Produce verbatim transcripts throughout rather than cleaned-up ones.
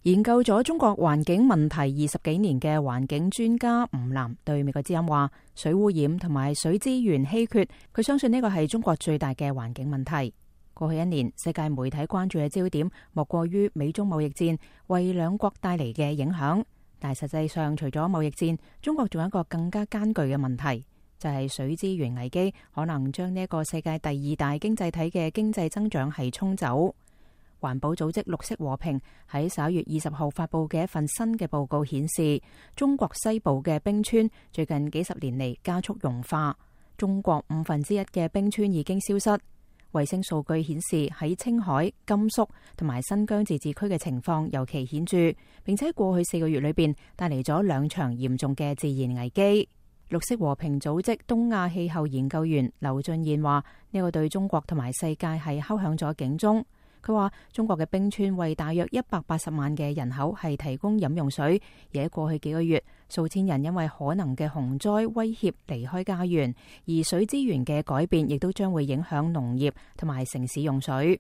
研究咗中國環境問題二十幾年嘅環境專家吳楠對美國之音話：水污染同埋水資源稀缺，佢相信呢個係中國最大嘅環境問題。過去一年，世界媒體關注嘅焦點莫過於美中貿易戰為兩國帶嚟嘅影響，但係實際上除咗貿易戰，中國仲有一個更加艱巨嘅問題，就係水資源危機可能將呢一個世界第二大經濟體嘅經濟增長係沖走。環保組織綠色和平喺十一月二十號發佈嘅一份新嘅報告顯示，中國西部嘅冰川最近幾十年嚟加速融化，中國五分之一嘅冰川已經消失。衛星數據顯示喺青海、甘肅同埋新疆自治區嘅情況尤其顯著，並且過去四個月裏邊帶嚟咗兩場嚴重嘅自然危機。綠色和平組織東亞氣候研究員劉俊彥話：呢個對中國同埋世界係敲響咗警鐘。佢話中國嘅冰川為大約一百八十萬嘅人口係提供飲用水，而喺過去幾個月，數千人因為可能嘅洪災威脅離開家園，而水資源嘅改變亦都將會影響農業同埋城市用水。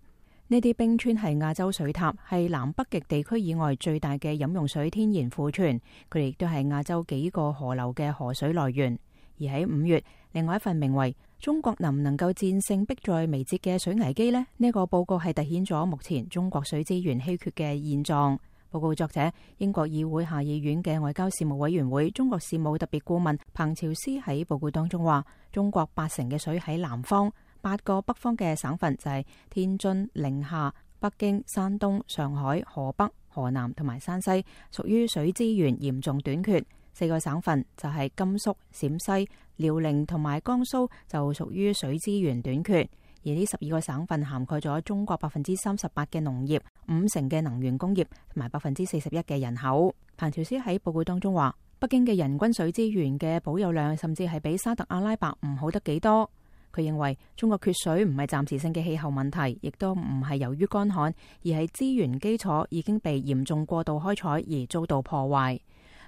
呢啲冰川係亞洲水塔，係南北極地區以外最大嘅飲用水天然庫存，佢哋亦都係亞洲幾個河流嘅河水來源。而喺五月，另外一份名為中國能唔能夠戰勝迫在眉睫嘅水危機呢？呢、這個報告係凸顯咗目前中國水資源稀缺嘅現狀。報告作者英國議會下議院嘅外交事務委員會中國事務特別顧問彭朝思喺報告當中話：中國八成嘅水喺南方，八個北方嘅省份就係天津、寧夏、北京、山東、上海、河北、河南同埋山西，屬於水資源嚴重短缺。四個省份就係甘肅、陝西、遼寧同埋江蘇就屬於水資源短缺，而呢十二個省份涵蓋咗中國百分之三十八嘅農業、五成嘅能源工業同埋百分之四十一嘅人口。彭朝思喺報告當中話，北京嘅人均水資源嘅保有量甚至係比沙特阿拉伯唔好得幾多。佢認為中國缺水唔係暫時性嘅氣候問題，亦都唔係由於乾旱，而係資源基礎已經被嚴重過度開採而遭到破壞。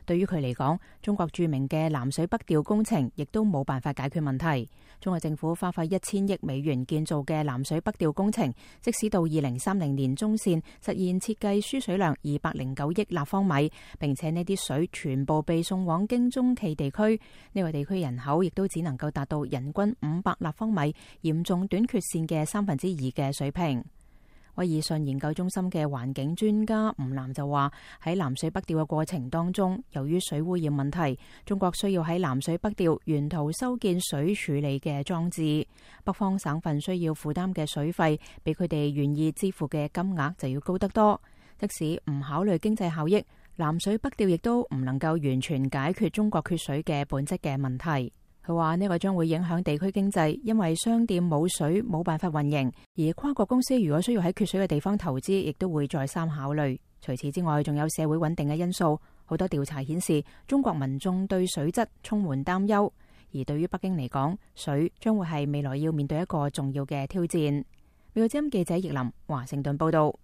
對於佢嚟講，中國著名嘅南水北調工程亦都冇辦法解決問題。中國政府花費一千億美元建造嘅南水北調工程，即使到二零三零年中線實現設計輸水量二百零九億立方米，並且呢啲水全部被送往京中冀地區，呢個地區人口亦都只能夠達到人均五百立方米嚴重短缺線嘅三分之二嘅水平。威爾遜研究中心嘅環境專家吳楠就話：喺南水北調嘅過程當中，由於水污染問題，中國需要喺南水北調沿途修建水處理嘅裝置。北方省份需要負擔嘅水費，比佢哋願意支付嘅金額就要高得多。即使唔考慮經濟效益，南水北調亦都唔能夠完全解決中國缺水嘅本質嘅問題。佢話呢個將會影響地區經濟，因為商店冇水冇辦法運營，而跨國公司如果需要喺缺水嘅地方投資，亦都會再三考慮。除此之外，仲有社會穩定嘅因素。好多調查顯示，中國民眾對水質充滿擔憂，而對於北京嚟講，水將會係未來要面對一個重要嘅挑戰。美國之音記者葉林華盛頓報道。